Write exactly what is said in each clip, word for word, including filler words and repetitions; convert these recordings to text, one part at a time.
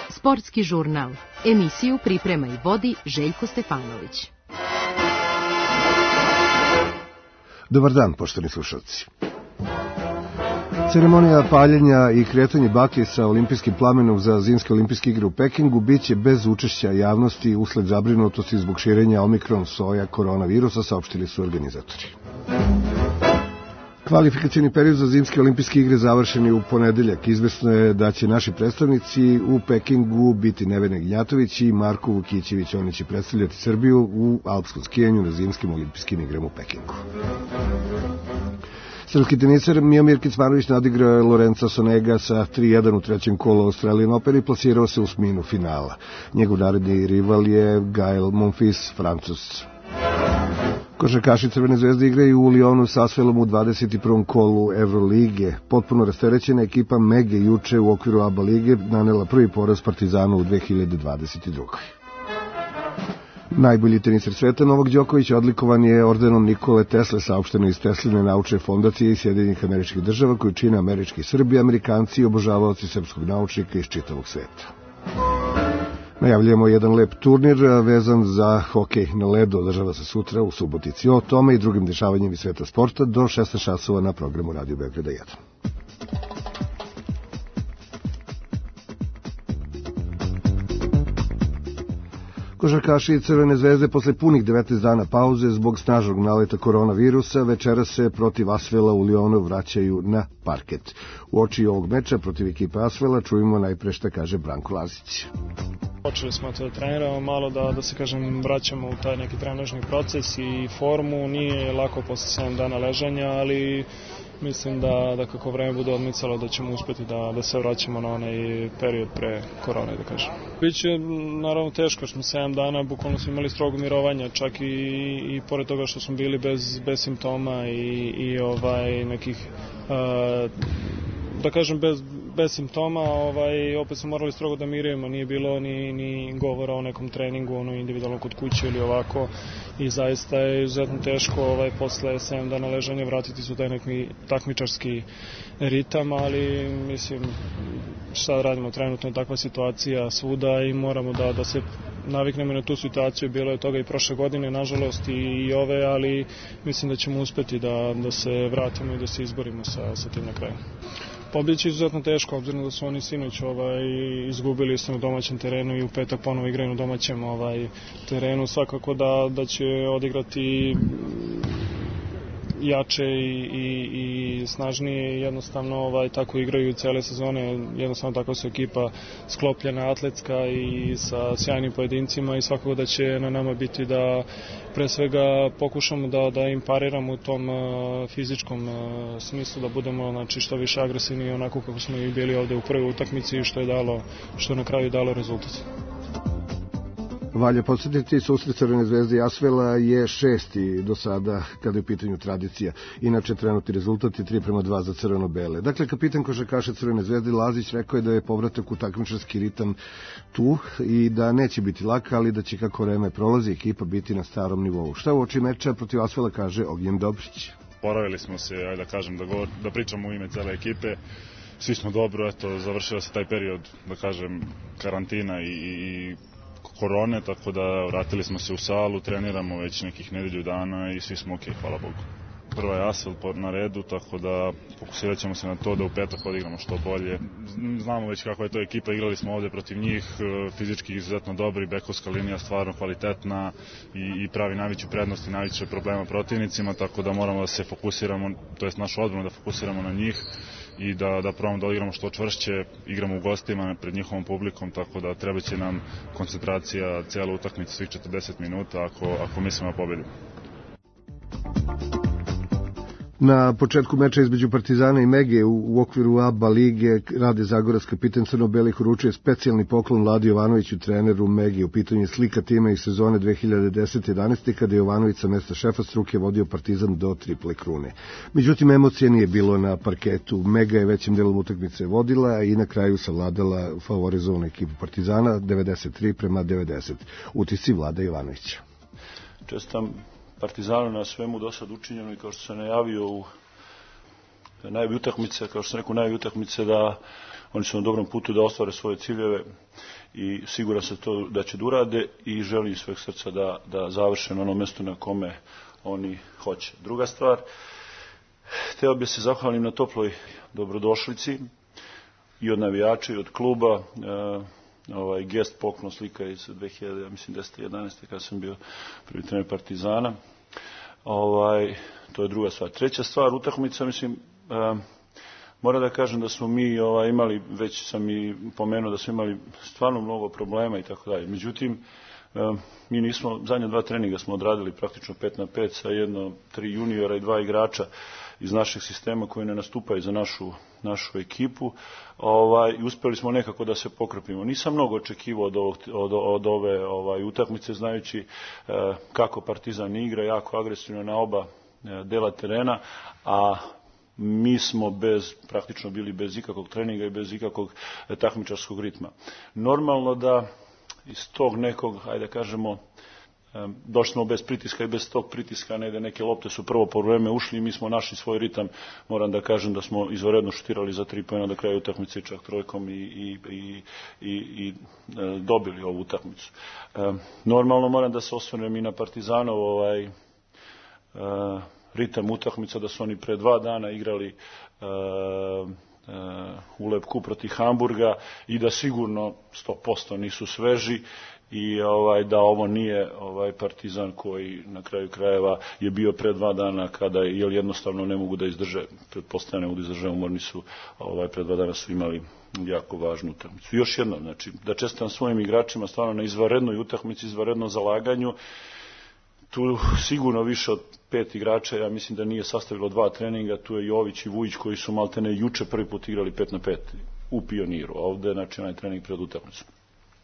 Sportski žurnal. Emisiju priprema i vodi Željko Stefanović. Dobar dan, poštovani slušalci. Ceremonija paljenja i kretanje baklje sa olimpijskim plamenom za zimske olimpijske igre u Pekingu biće bez učešća javnosti usled zabrinutosti zbog širenja omikron soja koronavirusa, saopštili su organizatori. Kvalifikacioni period za zimske olimpijske igre završen je u ponedeljak. Izvesno je da će naši predstavnici u Pekingu biti Nevena Gnjatović i Marko Vukićević. Oni će predstavljati Srbiju u alpskom skijanju na zimskim olimpijskim igrama u Pekingu. Srpski teniser Miomir Kecmanović nadigrao je Lorenza Sonega sa tri jedan u trećem kolu Australian Open i plasirao se u osminu finala. Njegov naredni rival je Gael Monfils, Francuz. Košarkaši Crvene zvezde igraju u Lionu s Asvelom u dvadeset prvom kolu Evrolige. Potpuno rasterećena ekipa Mege juče u okviru A B A lige nanela prvi poraz Partizanu u dve hiljade dvadeset drugoj. Najbolji teniser sveta Novak Đoković odlikovan je ordenom Nikole Tesle, saopšteno iz Tesline naučne fondacije iz Sjedinjenih Američkih Država, koju čine američki Srbi, Amerikanci i obožavaoci srpskog naučnika iz čitavog sveta. Najavljujemo jedan lep turnir vezan za hokej na ledu, održava se sutra u Subotici. O tome i drugim dešavanjem iz sveta sporta do šesnaest časova na programu Radio Beograda jedan. Košarkaši Crvene zvezde posle punih devetnaest dana pauze zbog snažnog naleta koronavirusa večeras se protiv Asvela u Lionu vraćaju na parket. U oči ovog meča protiv ekipe Asvela čujemo najpre šta kaže Branko Lazić. Počeli smo da treniramo malo da, da se kažem vraćamo u taj neki trenažni proces i formu. Nije lako posle sedam dana ležanja, ali mislim da, da kako vreme bude odmicalo da ćemo uspeti da, da se vraćamo na onaj period pre korone, da kažem. Biće naravno teško što smo sedam dana, bukvalno smo imali strogo mirovanja, čak i, i pored toga što smo bili bez, bez simptoma i, i ovaj nekih, uh, da kažem bez, bez simptoma, ovaj, opet smo morali strogo da mirujemo, nije bilo ni, ni govora o nekom treningu, ono individualno kod kuće ili ovako i zaista je izuzetno teško ovaj, posle sedam dana ležanja vratiti se u taj neki takmičarski ritam, ali mislim šta radimo, trenutno je takva situacija svuda i moramo da, da se naviknemo na tu situaciju, bilo je toga i prošle godine, nažalost i, i ove, ali mislim da ćemo uspeti da, da se vratimo i da se izborimo sa, sa tim na kraju. Pobjeći je izuzetno teško, obzirom da su oni sinoć ovaj, izgubili se na domaćem terenu i u petak ponovo igraju na domaćem ovaj, terenu. Svakako da, da će odigrati jače i, i, i snažnije, jednostavno ovaj, tako igraju cele sezone, jednostavno tako su ekipa sklopljena, atletska i sa sjajnim pojedincima i svakako da će na nama biti da pre svega pokušamo da, da im pariramo u tom uh, fizičkom uh, smislu, da budemo znači, što više agresivni onako kako smo i bili ovde u prvoj utakmici i što je dalo, što je na kraju dalo rezultat. Valja podsjetiti, susret Crvene zvezde i Asvela je šesti do sada kada je u pitanju tradicija. Inače, trenutni rezultat je tri prema dva za crveno-bele. Dakle, kapitan košarkaša Crvene zvezde Lazić rekao je da je povratak u takmičarski ritam tu i da neće biti lak, ali da će kako vreme prolazi ekipa biti na starom nivou. Šta u oči meča protiv Asvela kaže Ognjen Dobrić? Poravili smo se, ajde da kažem, da, govor, da pričamo u ime cele ekipe. Svi smo dobro, eto, završio se taj period, da kažem, karantina i, i korone, tako da vratili smo se u salu, treniramo već nekih nedelju dana i svi smo ok, hvala Bogu. Prva je Asvel na redu, tako da fokusirat ćemo se na to da u petak odigramo što bolje. Znamo već kakva je to ekipa, igrali smo ovde protiv njih, fizički izuzetno dobri, bekovska linija stvarno kvalitetna i, i pravi najveću prednost i najveće problema protivnicima, tako da moramo da se fokusiramo, to jest našu odbranu da fokusiramo na njih i da, da probamo da odigramo što čvršće, igramo u gostima pred njihovom publikom, tako da treba će nam koncentracija cijela utakmica svih četrdeset minuta ako, ako mislimo da pobedimo. Na početku meča između Partizana i Mege u okviru A B A lige Rade Zagorac, kapitan crno-belih, uručuje specijalni poklon Vladi Jovanoviću, treneru Mege. U pitanju je slika tima iz sezone dve hiljade desete jedanaeste kada je Jovanović sa mesta šefa struke vodio Partizan do triple krune. Međutim, emocije nije bilo na parketu. Mega je većim delom utakmice vodila i na kraju savladala favorizovanu ekipu Partizana devedeset tri prema devedeset. Utisci Vlada Jovanovića. Čestam Partizanu na svemu do sad učinjeno i kao što sam najavio u najave utakmice, kao što sam rekao, najave utakmice da oni su na dobrom putu da ostvare svoje ciljeve i siguran sam to da će da urade i želim iz sveg srca da, da završe na onom mjestu na kome oni hoće. Druga stvar, htio bih se zahvalim na toploj dobrodošlici i od navijača i od kluba. E, ovaj gest, poklon, slika iz dve hiljade, ja mislim deset jedanaeste kada sam bio prvi trener Partizana. Ovaj, to je druga stvar. Treća stvar, utakmica, mislim, e, moram da kažem da smo mi ovaj, imali, već sam i pomenuo da smo imali stvarno mnogo problema i tako dalje. Međutim, e, mi nismo, zadnja dva treninga smo odradili praktično pet na pet sa jedno, tri juniora i dva igrača iz našeg sistema koji ne nastupaju za našu, našu ekipu. Ovaj, i uspjeli smo nekako da se pokrpimo. Nisam mnogo očekivao od, ovog, od, od ove ovaj, utakmice, znajući e, kako Partizan igra, jako agresivno na oba e, dela terena, a mi smo bez, praktično bili bez ikakvog treninga i bez ikakvog e, takmičarskog ritma. Normalno da iz tog nekog, ajde kažemo, došli smo bez pritiska i bez tog pritiska, negde neke lopte su prvo po vreme ušli i mi smo našli svoj ritam. Moram da kažem da smo izvanredno šutirali za tri poena do kraja utakmice, čak trojkom i, i, i, i, i e, dobili ovu utakmicu. E, normalno moram da se osvrnem i na Partizanov ovaj, e, ritam utakmica, da su oni pre dva dana igrali e, u Lepku protiv Hamburga i da sigurno sto posto nisu sveži i ovaj, da ovo nije ovaj Partizan koji na kraju krajeva je bio pre dva dana kada je jednostavno ne mogu da izdrže, pretpostavljam ne mogu da izdrže, umorni su, ovaj, pre dva dana su imali jako važnu utakmicu. Još jednom, znači, da čestitam svojim igračima stvarno na izvanrednoj utakmici, izvanrednom zalaganju. Tu sigurno više od pet igrača, ja mislim da nije sastavilo dva treninga, tu je Jović i Vujić koji su maltene juče prvi put igrali pet na pet u Pioniru, a ovde znači onaj trening pred utakmicu.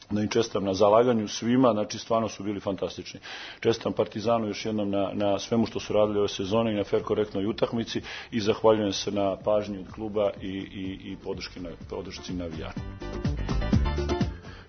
Da im čestitam na zalaganju svima, znači stvarno su bili fantastični. Čestitam Partizanu još jednom na, na svemu što su radili ove sezone i na fer korektnoj utakmici i zahvaljujem se na pažnji od kluba i, i, i podršci, na, podršci navijača.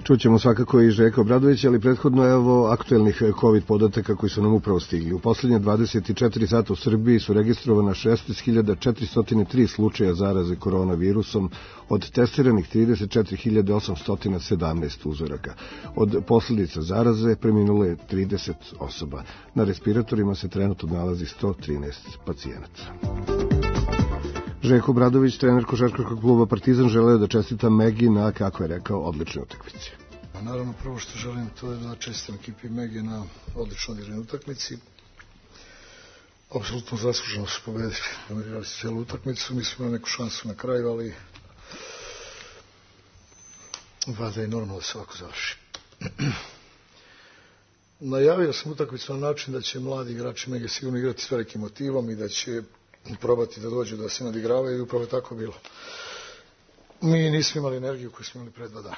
Čućemo svakako i Željka Obradovića, ali prethodno evo aktuelnih COVID podataka koji su nam upravo stigli. U posljednje dvadeset četiri sata u Srbiji su registrovana šesnaest hiljada četiristo tri slučaja zaraze koronavirusom, od testiranih trideset četiri hiljade osamsto sedamnaest uzoraka. Od posljedica zaraze preminulo je trideset osoba. Na respiratorima se trenutno nalazi sto trinaest pacijenata. Željko Obradović, trener košarkaškog kluba Partizan, želeo da čestita Megi na, kako je rekao, odličnoj utakmici. Naravno, prvo što želim to je da čestitam ekipi Megi na odlično odigranoj utakmici. Apsolutno zasluženo su pobedili, dominirali su cijelu utakmicu, mi smo imali neku šansu na kraju, ali valjda je normalno da se ovako završi. Najavio sam utakmicu na način da će mladi igrači Mege sigurno igrati s velikim motivom i da će probati da dođu da se nadigravaju i upravo je tako bilo. Mi nismo imali energiju koju smo imali pre dva dana.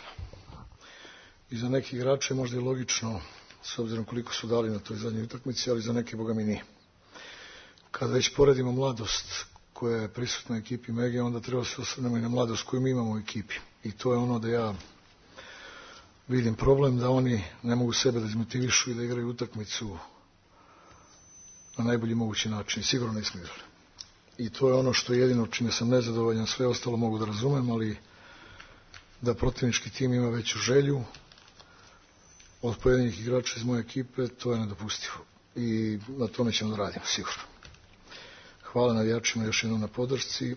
I za neke igrače možda je logično, s obzirom koliko su dali na toj zadnjoj utakmici, ali za neke, boga mi nije. Kada već poredimo mladost koja je prisutna u ekipi Mege, onda treba se osvrnemo i na mladost koju mi imamo u ekipi. I to je ono da ja vidim problem, da oni ne mogu sebe da izmotivišu i da igraju utakmicu na najbolji mogući način. Sigurno nismo igrali. I to je ono što je jedino čime sam nezadovoljan, sve ostalo mogu da razumem, ali da protivnički tim ima veću želju od pojedinih igrača iz moje ekipe, to je nedopustivo. I na tome ćemo da radimo, sigurno. Hvala navijačima još jednom na podršci.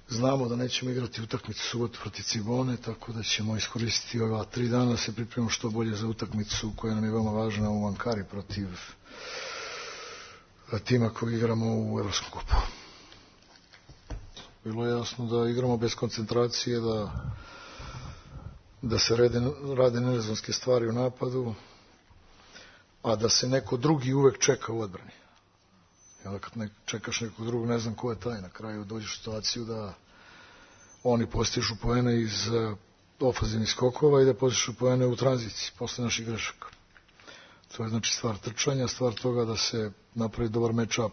Znamo da nećemo igrati utakmicu subotu protiv Cibone, tako da ćemo iskoristiti ova tri dana da se pripremimo što bolje za utakmicu koja nam je veoma važna u Ankari protiv tima kog igramo u Evropskom kupu. Bilo je jasno da igramo bez koncentracije, da, da se rade, rade nerezonske stvari u napadu, a da se neko drugi uvek čeka u odbrani. I onda kad ne, čekaš nekog drugog, ne znam ko je taj, na kraju dođeš u situaciju da oni postižu poene iz uh, ofazivnih skokova i da postižu poene u tranziciji posle naših grešaka. To je znači stvar trčanja, stvar toga da se napravi dobar match-up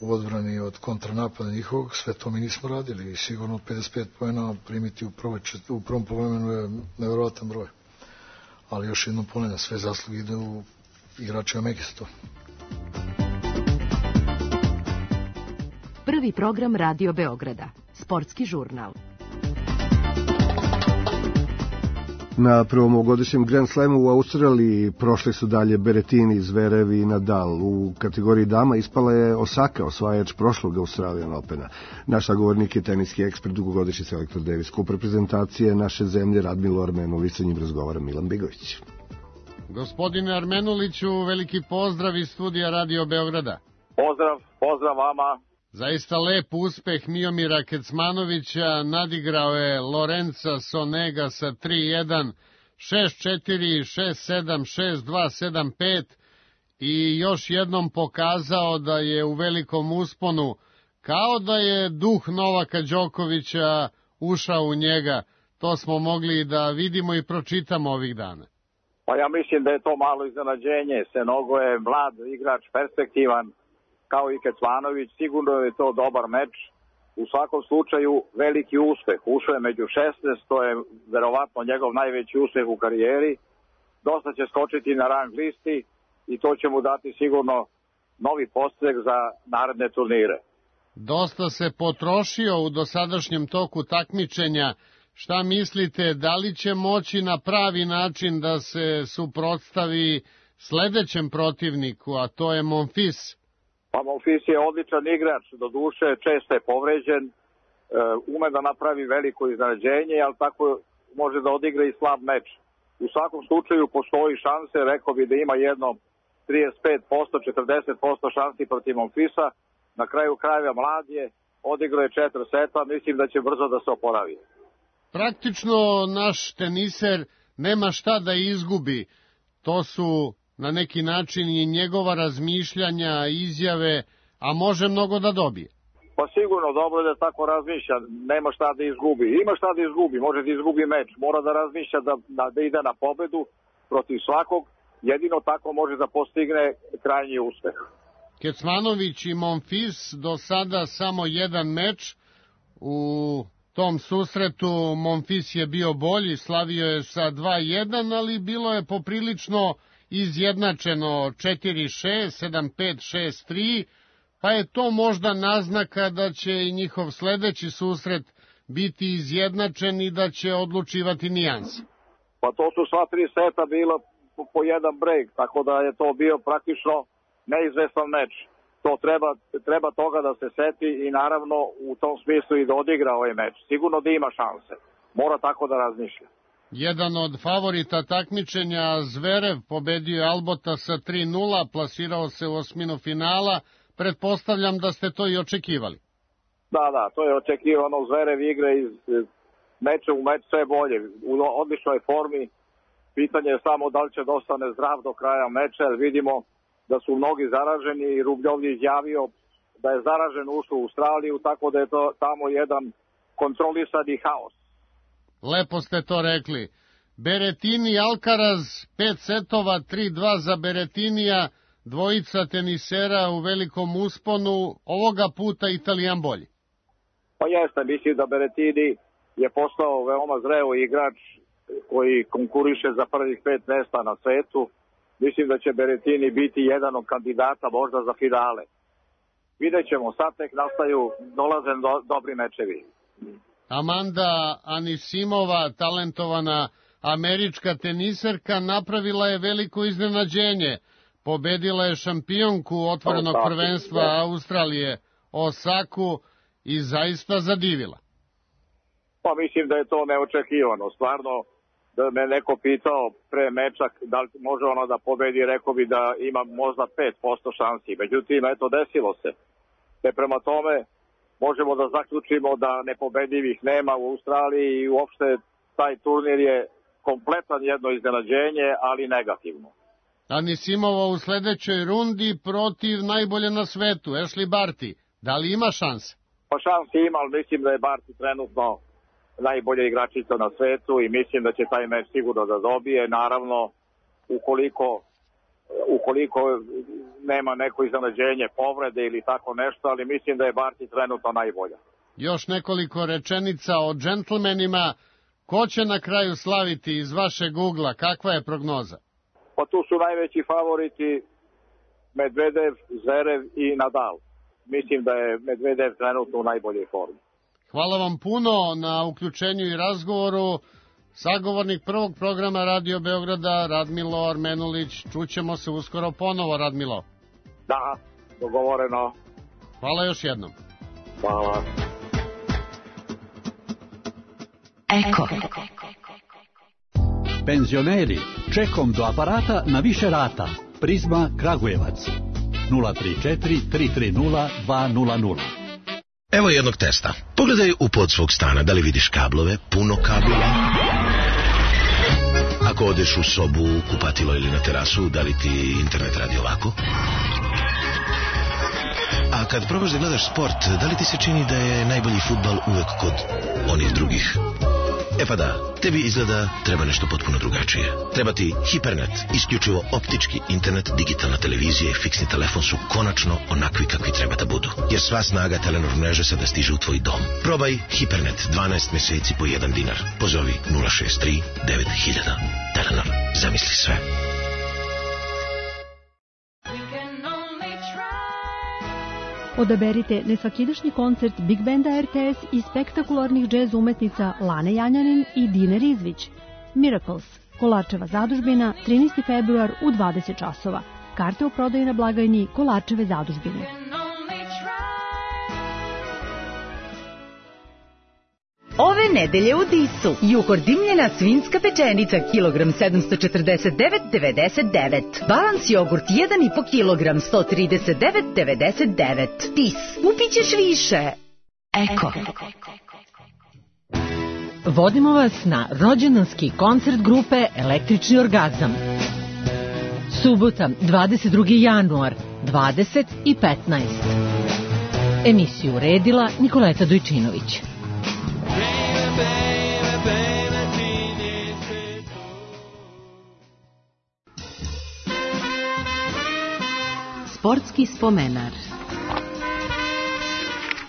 u odbrani od kontranapada njihovog. Sve to mi nismo radili i sigurno pedeset pet poena primiti u, prvoj, u prvom povremenu je nevjerovatan broj. Ali još jednom ponavljam, sve zasluge ide u igračima Mege za to. Prvi program Radio Beograda. Sportski žurnal. Na prvom ovogodišnjem Grand Slamu u Australiji prošli su dalje Berrettini, Zverev i Nadal. U kategoriji dama ispala je Osaka, osvajač prošlog Australian Opena. Naš sagovornik je teniski ekspert, dugogodišnji selektor Davis Cup reprezentacije naše zemlje Radmilo Armenulić, sa njim razgovara Milan Bigović. Gospodine Armenuliću, veliki pozdrav iz studija Radio Beograda. Pozdrav, pozdrav vama. Zaista lep uspeh Miomira Kecmanovića, nadigrao je Lorenza Sonega sa tri jedan, šest četiri, šest sedam, šest dva, sedam pet i još jednom pokazao da je u velikom usponu, kao da je duh Novaka Đokovića ušao u njega. To smo mogli da vidimo i pročitamo ovih dana. Pa ja mislim da je to malo iznenađenje. Senogo je mlad igrač, perspektivan, kao i Kecmanović. Sigurno je to dobar meč. U svakom slučaju veliki uspeh. Ušao je među šesnaest, to je verovatno njegov najveći uspeh u karijeri. Dosta će skočiti na rang listi i to će mu dati sigurno novi postrek za naredne turnire. Dosta se potrošio u dosadašnjem toku takmičenja. Šta mislite, da li će moći na pravi način da se suprotstavi sledećem protivniku, a to je Monfils? Pa Monfils je odličan igrač, do duše često je povređen, ume da napravi veliko iznenađenje, ali tako može da odigra i slab meč. U svakom slučaju postoji šanse, rekao bi da ima jedno trideset pet posto, četrdeset posto šansi protiv Monfilsa. Na kraju krajeva mlad je, odigrao je četiri seta, mislim da će brzo da se oporavi. Praktično naš teniser nema šta da izgubi. To su na neki način i njegova razmišljanja, izjave, a može mnogo da dobije. Pa sigurno, dobro je da tako razmišlja, nema šta da izgubi. Ima šta da izgubi, može da izgubi meč, mora da razmišlja da, da, da ide na pobedu protiv svakog, jedino tako može da postigne krajnji uspeh. Kecmanović i Monfils do sada samo jedan meč. U tom susretu Monfils je bio bolji, slavio je sa dva jedan, ali bilo je poprilično izjednačeno četiri šest, sedam pet, šest tri, pa je to možda naznaka da će i njihov sledeći susret biti izjednačen i da će odlučivati nijanse. Pa to su sva tri seta bilo po, po jedan break, tako da je to bio praktično neizvestan meč. To treba, treba toga da se seti i naravno u tom smislu i da odigra ovaj meč. Sigurno da ima šanse. Mora tako da razmišlja. Jedan od favorita takmičenja, Zverev, pobedio je Albota sa tri nula, plasirao se u osminu finala. Pretpostavljam da ste to i očekivali. Da, da, to je očekivano. Zverev igra iz meča u meč sve bolje. U odličnoj formi. Pitanje je samo da li će da ostane zdrav do kraja meča, jer vidimo da su mnogi zaraženi i Rubljov je izjavio da je zaražen ušao u Australiju, tako da je to tamo jedan kontrolisani haos. Lepo ste to rekli. Berrettini Alcaraz, pet setova, tri dva za Berrettinija, dvojica tenisera u velikom usponu, ovoga puta Italijan bolji. Pa jeste, mislim da Berrettini je postao veoma zreo igrač koji konkuriše za prvih pet mesta na svetu. Mislim da će Berrettini biti jedan od kandidata možda za finale. Vidjet ćemo, sad tek nastaju, dolaze do, dobri mečevi. Amanda Anisimova, talentovana američka teniserka, napravila je veliko iznenađenje. Pobedila je šampionku otvorenog prvenstva Australije, Osaku, i zaista zadivila. Pa mislim da je to neočekivano. Stvarno, da me neko pitao pre meča da li može ono da pobedi, rekao bi da ima možda pet posto šansi. Međutim, eto, desilo se. Te prema tome možemo da zaključimo da nepobedivih nema u Australiji i uopšte taj turnir je kompletan jedno iznenađenje, ali negativno. Anisimova u sledećoj rundi protiv najbolje na svetu, Ashley Barty. Da li ima šanse? Pa šanse ima, ali mislim da je Barty trenutno najbolja igračica na svetu i mislim da će taj meč sigurno da dobije. Naravno, ukoliko, ukoliko nema neko iznenađenje, povrede ili tako nešto, ali mislim da je Barty trenutno najbolja. Još nekoliko rečenica o džentlmenima. Ko će na kraju slaviti iz vašeg ugla? Kakva je prognoza? Pa tu su najveći favoriti Medvedev, Zverev i Nadal. mislim da je Medvedev trenutno u najboljoj formi. Hvala vam puno na uključenju i razgovoru. Sagovornik prvog programa Radio Beograda, Radmilo Armenulić. Čućemo se uskoro ponovo, Radmilo. Da, dogovoreno. Hvala još jednom. Hvala. Eko. Penzioneri, čekom do aparata na više rata. Prizma Kragujevac. nula tri četiri tri tri nula dva nula nula. Evo jednog testa. Pogledaj u pod svog stana, da li vidiš kablove, puno kablova. Ako odeš u sobu, kupatilo ili na terasu, da li ti internet radi ovako? A kad probaš da gledaš sport, da li ti se čini da je najbolji fudbal uvek kod onih drugih? E pa da, tebi izgleda treba nešto potpuno drugačije. Treba ti Hipernet, isključivo optički internet, digitalna televizija i fiksni telefon su konačno onakvi kakvi treba da budu. Jer sva snaga Telenor mreže sada stiže u tvoj dom. Probaj Hipernet, dvanaest meseci po jedan dinar. Pozovi nula šest tri devet hiljada. Telenor, zamisli sve. Odaberite nesvakidašnji koncert Big Banda R T S i spektakularnih džez umetnica Lane Janjanin i Dine Rizvić. Miracles, Kolarčeva zadužbina, trinaesti februar u dvadeset časova. Karte u prodaju na blagajni Kolarčeve zadužbine. Ove nedelje u Disu Juhor dimljena svinjska pečenica kilogram sedamsto četrdeset devet zarez devedeset devet. Balans jogurt jedan i po kilogram sto trideset devet zarez devedeset devet. Dis, kupit ćeš više. Eko. Vodimo vas na rođendanski koncert grupe Električni orgazam. Subota, dvadeset drugi januar, dvadeset i petnaest. Emisiju uredila Nikoleta Dojčinović. Sportski spomenar.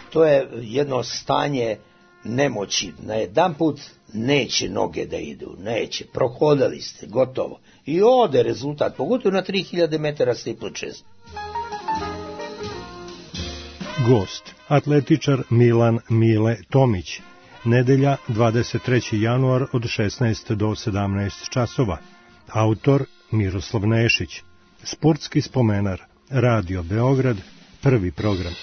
To je jedno stanje nemoći. Na jedan put neće noge da idu, neće, prohodali ste, gotovo. I ode rezultat, pogotovo na tri hiljade metara steeplechase. Gost, atletičar Milan Mile Tomić. Nedelja, dvadeset treći januar od šesnaest do sedamnaest časova. Autor Miroslav Nešić. Sportski spomenar. Radio Beograd, prvi program.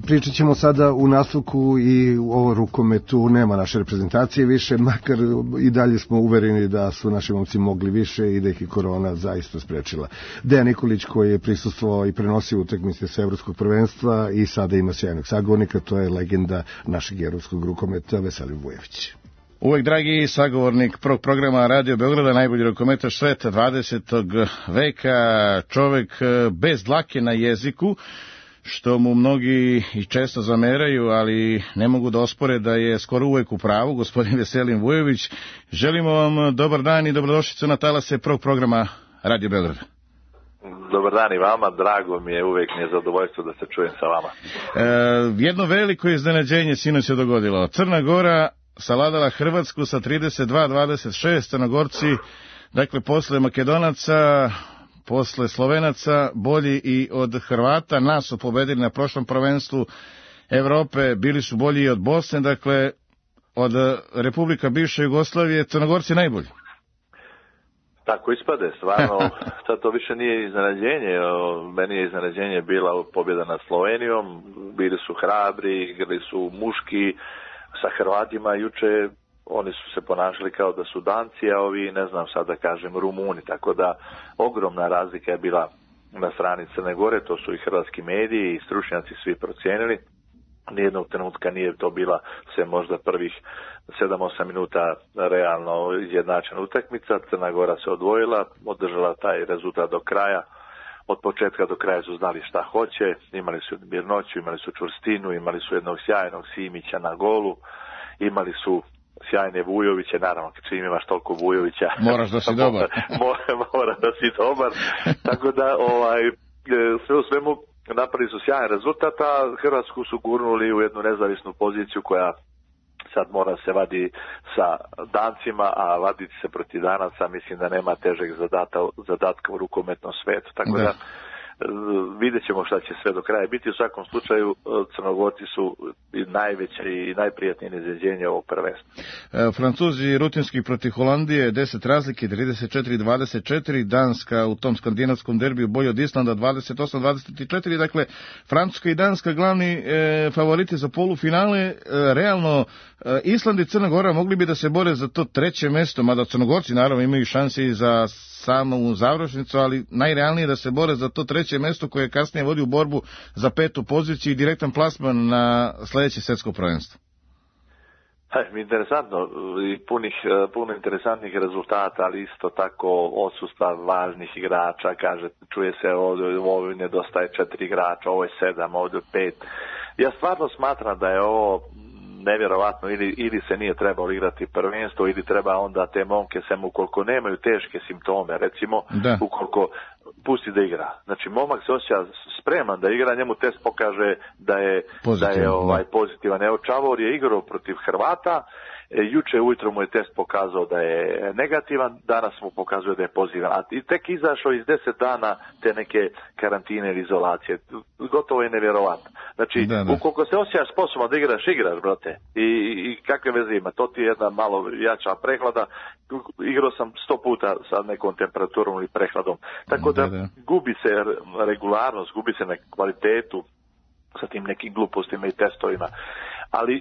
Pričat ćemo sada u nastavku i u ovo rukometu. Nema naše reprezentacije više, makar i dalje smo uvereni da su naši momci mogli više i da ih i korona zaista sprečila. Dejan Nikolić, koji je prisustvovao i prenosio utakmice sa evropskog prvenstva i sada ima sjajnog sagovornika, to je legenda našeg evropskog rukometa Veselin Vujović. Uvek dragi sagovornik prvog programa Radio Beograda, najbolji rukometaš sveta dvadesetog veka, čovek bez dlake na jeziku, što mu mnogi i često zameraju, ali ne mogu da ospore da je skoro uvek u pravu, gospodin Veselin Vujović. Želimo vam dobar dan i dobrodošlicu na talase prvog programa Radio Beograda. Dobar dan i vama, drago mi je, uvek mi je zadovoljstvo da se čujem sa vama. E, jedno veliko iznenađenje sinoć se dogodilo. Crna Gora savladala Hrvatsku sa trideset dva dvadeset šest, Crnogorci, dakle posle Makedonaca, posle Slovenaca, bolji i od Hrvata, nas su pobedili na prošlom prvenstvu Evrope, bili su bolji i od Bosne, dakle od Republika bivše Jugoslavije, Crnogorci najbolji. Tako ispade, stvarno, sad to više nije iznenađenje, meni je iznenađenje bila pobjeda nad Slovenijom, bili su hrabri, igrali su muški sa Hrvatima, juče oni su se ponašali kao da su Danci, a ovi, ne znam sad da kažem, Rumuni, tako da ogromna razlika je bila na strani Crne Gore, to su i hrvatski mediji i stručnjaci svi procijenili. Nijednog trenutka nije to bila sve možda prvih sedam osam minuta realno izjednačena utakmica. Crna Gora se odvojila, održala taj rezultat do kraja. Od početka do kraja su znali šta hoće, imali su mirnoću, imali su čvrstinu, imali su jednog sjajnog Simića na golu, imali su sjajne Vujoviće, naravno kad svim imaš toliko Vujovića moraš da si dobar mora, mora da si dobar tako da ovaj, sve u svemu napravili su sjajan rezultat, a Hrvatsku su gurnuli u jednu nezavisnu poziciju koja sad mora se vadi sa Dancima, a vaditi se protiv Danaca mislim da nema težeg zadata, zadatka u rukometnom svetu, tako da, da vidjet ćemo šta će sve do kraja biti. U svakom slučaju Crnogorci su najveće i najprijatnije iznenađenje ovog prvenstva. E, Francuzi rutinski protiv Holandije, deset razlike, trideset četiri dvadeset četiri, Danska u tom skandinavskom derbiju bolje od Islanda, dvadeset osam dvadeset četiri, dakle Francuska i Danska glavni e, favoriti za polufinale. E, realno e, Island i Crna Gora mogli bi da se bore za to treće mesto, mada Crnogorci naravno imaju šanse i za samu završnicu, ali najrealnije da se bore za to treće mesto koje kasnije vodi u borbu za petu poziciju i direktan plasman na sledeće svetsko prvenstvo. Interesantno i punih, puno interesantnih rezultata, ali isto tako odsustva važnih igrača, kaže, čuje se ovdje, ovdje nedostaje četiri igrača, ovo je sedam, ovdje pet. Ja stvarno smatram da je ovo nevjerovatno, ili, ili se nije trebalo igrati prvenstvo, ili treba onda te momke, sem ukoliko nemaju teške simptome, recimo, da. Ukoliko pusti da igra. Znači, momak se osjeća spreman da igra, njemu test pokaže da je, da je ovaj, pozitivan. Evo, Čavor je igrao protiv Hrvata, e, juče ujutro mu je test pokazao da je negativan, danas mu pokazuje da je pozitivan. A i tek izašao iz deset dana te neke karantine ili izolacije. Gotovo je nevjerovatno. Znači, da, da. Ukoliko se osjećaš sposoban da igraš, igraš, brate. I, i kakve veze ima? To ti je jedna malo jača prehlada. Igrao sam sto puta sa nekom temperaturom ili prehladom. Tako da, da, da. gubi se regularnost, gubi se na kvalitetu sa tim nekim glupostima i testovima. Ali e,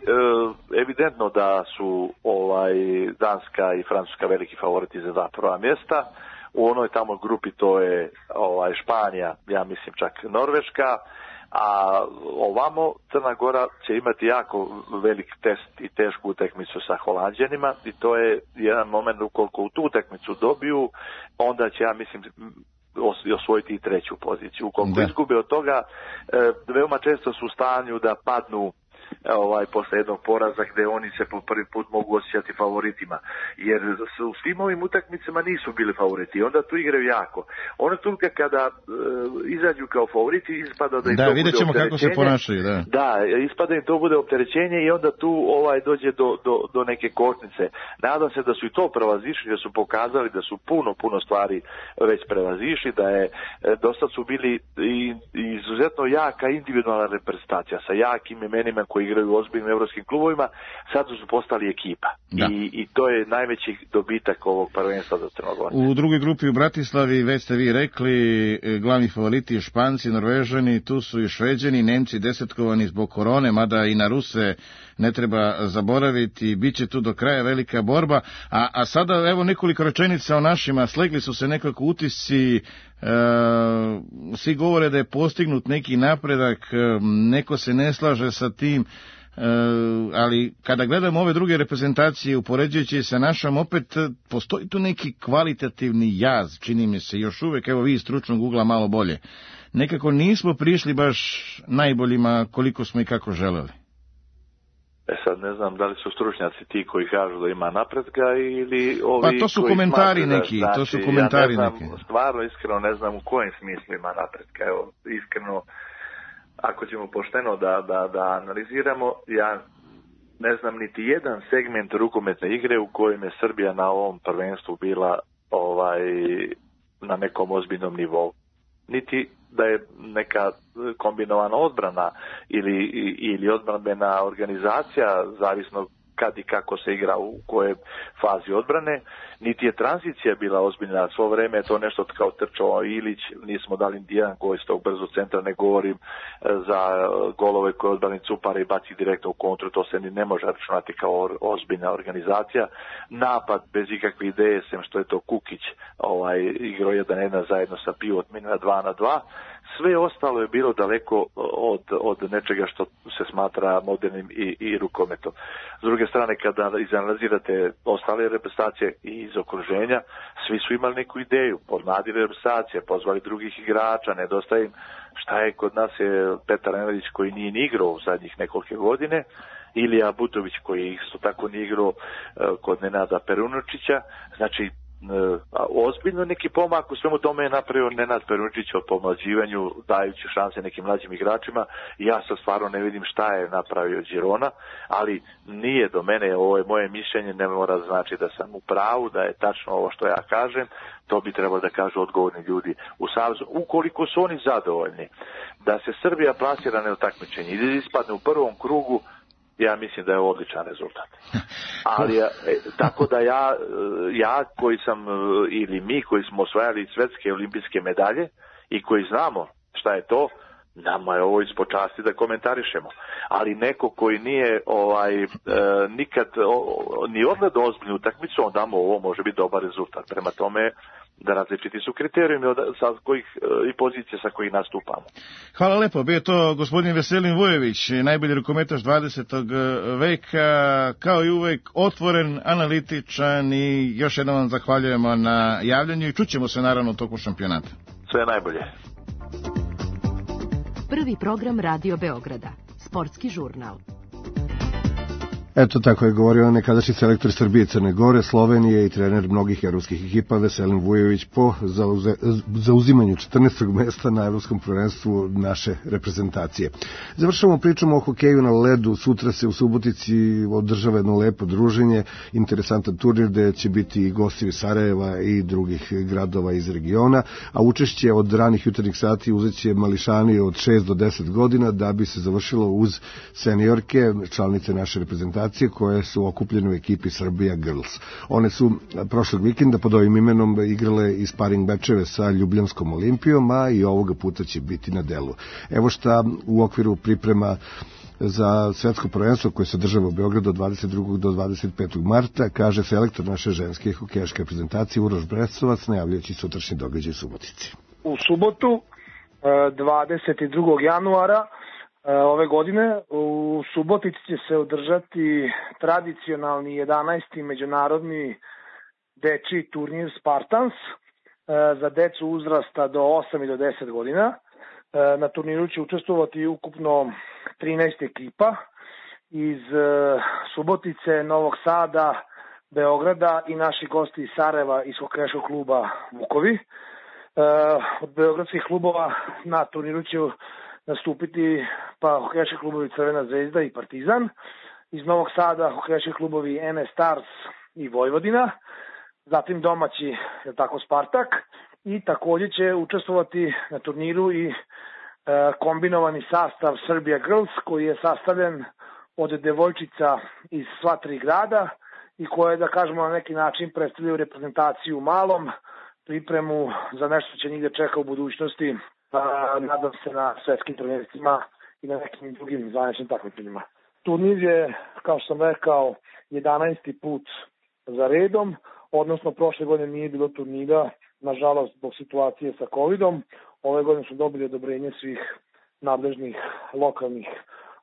evidentno da su ovaj Danska i Francuska veliki favoriti za dva prva mjesta. U onoj tamo grupi to je ovaj Španija, ja mislim čak Norveška, a ovamo Crna Gora će imati jako velik test i tešku utakmicu sa Holanđanima i to je jedan moment ukoliko u tu utakmicu dobiju, onda će, ja mislim, osvojiti i treću poziciju. Ukoliko izgube od toga, veoma često su u stanju da padnu ovaj posle jednog poraza gde oni se po prvi put mogu osjećati favoritima, jer u svim ovim utakmicama nisu bili favoriti, onda tu igraju jako. Ono tulka kada e, izađu kao favoriti ispada da im da, to vidjet ćemo kako se ponašaju, da. Da, ispada im to bude opterećenje i onda tu ovaj dođe do, do, do neke kočnice. Nadam se da su i to prevazišli, da su pokazali da su puno, puno stvari već prevazišli, da je dosta su bili i, i izuzetno jaka individualna reprezentacija sa jakim imenima koji igraju u ozbiljnim evropskim klubovima, sad su postali ekipa. I, I to je najveći dobitak ovog prvenstva za Crnogorce. U drugoj grupi u Bratislavi, već ste vi rekli, glavni favoriti Španci, Norvežani, tu su i Šveđani, Nemci desetkovani zbog korone, mada i na Ruse ne treba zaboraviti, bit će tu do kraja velika borba. A, a sada evo nekoliko rečenica o našima, slegli su se nekako utisci, e, svi govore da je postignut neki napredak, neko se ne slaže sa tim, e, ali kada gledamo ove druge reprezentacije upoređujući sa našom, opet postoji tu neki kvalitativni jaz, čini mi se još uvek, evo vi iz stručnog ugla malo bolje. Nekako nismo prišli baš najboljima koliko smo i kako želeli. E sad ne znam da li su stručnjaci ti koji kažu da ima napretka ili ovi pa to su koji komentari smatru, neki, znači, to su komentari ja ne znam, neki. Stvarno iskreno ne znam u kojem smislu ima napretka. Evo, iskreno, ako ćemo pošteno da, da, da analiziramo, ja ne znam niti jedan segment rukometne igre u kojem je Srbija na ovom prvenstvu bila ovaj na nekom ozbiljnom nivou. Niti da je neka kombinovana odbrana ili, ili odbranbena organizacija, zavisno kad i kako se igra u kojoj fazi odbrane, niti je tranzicija bila ozbiljna. Svo vreme je to nešto kao trčao Ilić, nismo dali jedan gol iz tog brzo centra, ne govorim za golove koje odbrani Cupara i baci direktno u kontru, to se ni ne može računati kao ozbiljna organizacija. Napad bez ikakve ideje, sem što je to Kukić ovaj, igrao jedan jedan zajedno sa Pivot na dva na dva. Sve ostalo je bilo daleko od, od nečega što se smatra modernim i, i rukometom. S druge strane, kada izanalizirate ostale reprezentacije i iz okruženja, svi su imali neku ideju, podmladili reprezentacije, pozvali drugih igrača, nedostaje im. Šta je kod nas je Petar Nenadić koji nije ni igrao u zadnjih nekolike godine, Ilija Butović koji isto tako nije igrao kod Nenada Perunočića. Znači, ozbiljno neki pomak u svemu tome je napravio Nenad Perunčić o pomlađivanju, dajući šanse nekim mlađim igračima. Ja sad stvarno ne vidim šta je napravio Girona, ali nije do mene, ovo je moje mišljenje, ne mora znači da sam u pravu, da je tačno ovo što ja kažem, to bi trebalo da kažu odgovorni ljudi u Savezu. Ukoliko su oni zadovoljni da se Srbija plasira na takmičenje i da ispadne u prvom krugu, ja mislim da je odličan rezultat. Ali, e, tako da ja, ja koji sam, ili mi koji smo osvajali svetske olimpijske medalje i koji znamo šta je to, nama je ovo ispod časti da komentarišemo. Ali neko koji nije ovaj, e, nikad o, ni odgledao ozbiljnu utakmicu, onda mu ovo može biti dobar rezultat. Prema tome, da različiti su kriterijumi od, sa kojih, i pozicije sa kojih nastupamo. Hvala lepo, bio to gospodin Veselin Vujović, najbolji rukometaš dvadesetog veka, kao i uvek otvoren, analitičan i još jednom vam zahvaljujemo na javljanju i čućemo se naravno u toku šampionata. Sve najbolje. Prvi program Radio Beograda, sportski žurnal. Eto, tako je govorio nekadašnji selektor Srbije, Crne Gore, Slovenije i trener mnogih evropskih ekipa Veselin Vujović po zauze, zauzimanju četrnaestog mesta na evropskom prvenstvu naše reprezentacije. Završavamo pričamo o hokeju na ledu. Sutra se u Subotici održava jedno lepo druženje, interesantan turnir gde će biti i gosti iz Sarajeva i drugih gradova iz regiona, a učešće od ranih jutarnjih sati uzeće mališani od šest do deset godina da bi se završilo uz seniorke, članice naše reprezentacije koje su okupljene u ekipi Srbija Girls. One su prošlog vikenda pod ovim imenom igrale i sparing mečeve sa Ljubljanskom Olimpijom, a i ovoga puta će biti na delu. Evo šta u okviru priprema za svetsko prvenstvo koje se održava u Beogradu od dvadeset drugog do dvadeset petog marta, kaže selektor naše ženske hokejaške reprezentacije Uroš Brestovac, najavljajući sutrašnji događaj u Subotici. U subotu, dvadeset drugog januara ove godine, u Subotici će se održati tradicionalni jedanaesti međunarodni dečiji turnir Spartans za decu uzrasta do osam i do deset godina. Na turniru će učestvovati ukupno trinaest ekipa iz Subotice, Novog Sada, Beograda i naši gosti iz Sarajeva iz hokejaškog kluba Vukovi. Od beogradskih klubova na turniru će nastupiti pa hokejaški klubovi Crvena zvezda i Partizan, iz Novog Sada hokejaški klubovi N S Stars i Vojvodina, zatim domaći, je tako, Spartak, i također će učestvovati na turniru i e, kombinovani sastav Serbia Girls, koji je sastavljen od devojčica iz sva tri grada i koje, da kažemo, na neki način predstavljaju reprezentaciju u malom, pripremu za nešto će njih da čeka u budućnosti. A, nadam se na svetskim prvenstvima i na nekim drugim zvaničnim takmičenjima. Turnir je, kao što sam rekao, jedanaesti put za redom, odnosno prošle godine nije bilo turnira, nažalost zbog situacije sa covidom. Ove godine smo dobili odobrenje svih nadležnih lokalnih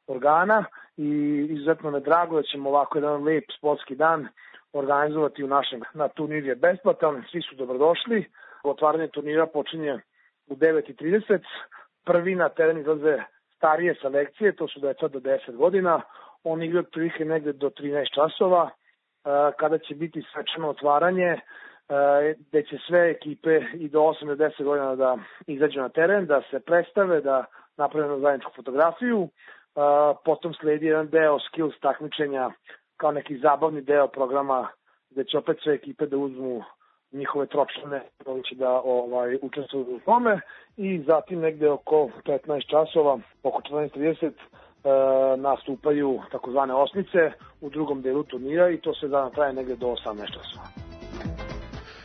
organa i izuzetno me drago da ćemo ovako jedan lep sportski dan organizovati u našem. Na turnir je besplatan, svi su dobrodošli. Otvaranje turnira počinje u devet i trideset. Prvi na teren izlaze starije selekcije, to su deca do deset godina. Oni igraju otprilike negde do trinaest časova, kada će biti svečano otvaranje, gde će sve ekipe i do osam do deset godina da izađu na teren, da se predstave, da naprave zajedničku fotografiju. Potom sledi jedan deo skills takmičenja kao neki zabavni deo programa, gde će opet sve ekipe da uzmu njihove tročlane koji će da ovaj, učestvuju u tome, i zatim negde oko petnaest časova, oko četrnaest trideset, e, nastupaju takozvane osmice u drugom delu turnira i to se dana traje negde do osamnaest časova.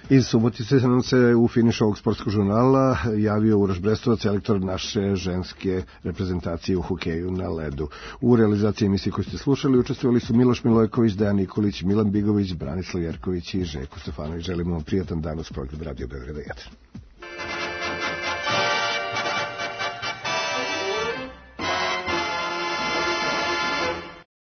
Iz Subotice nam se u finišu ovog sportskog žurnala javio Uroš Brestovac, selektor naše ženske reprezentacije u hokeju na ledu. U realizaciji emisije koju ste slušali učestvovali su Miloš Milojković, Dejan Nikolić, Milan Bigović, Branislav Jerković i Željko Stefanović. Želimo vam prijatan dan uz program Radio Beograda jedan.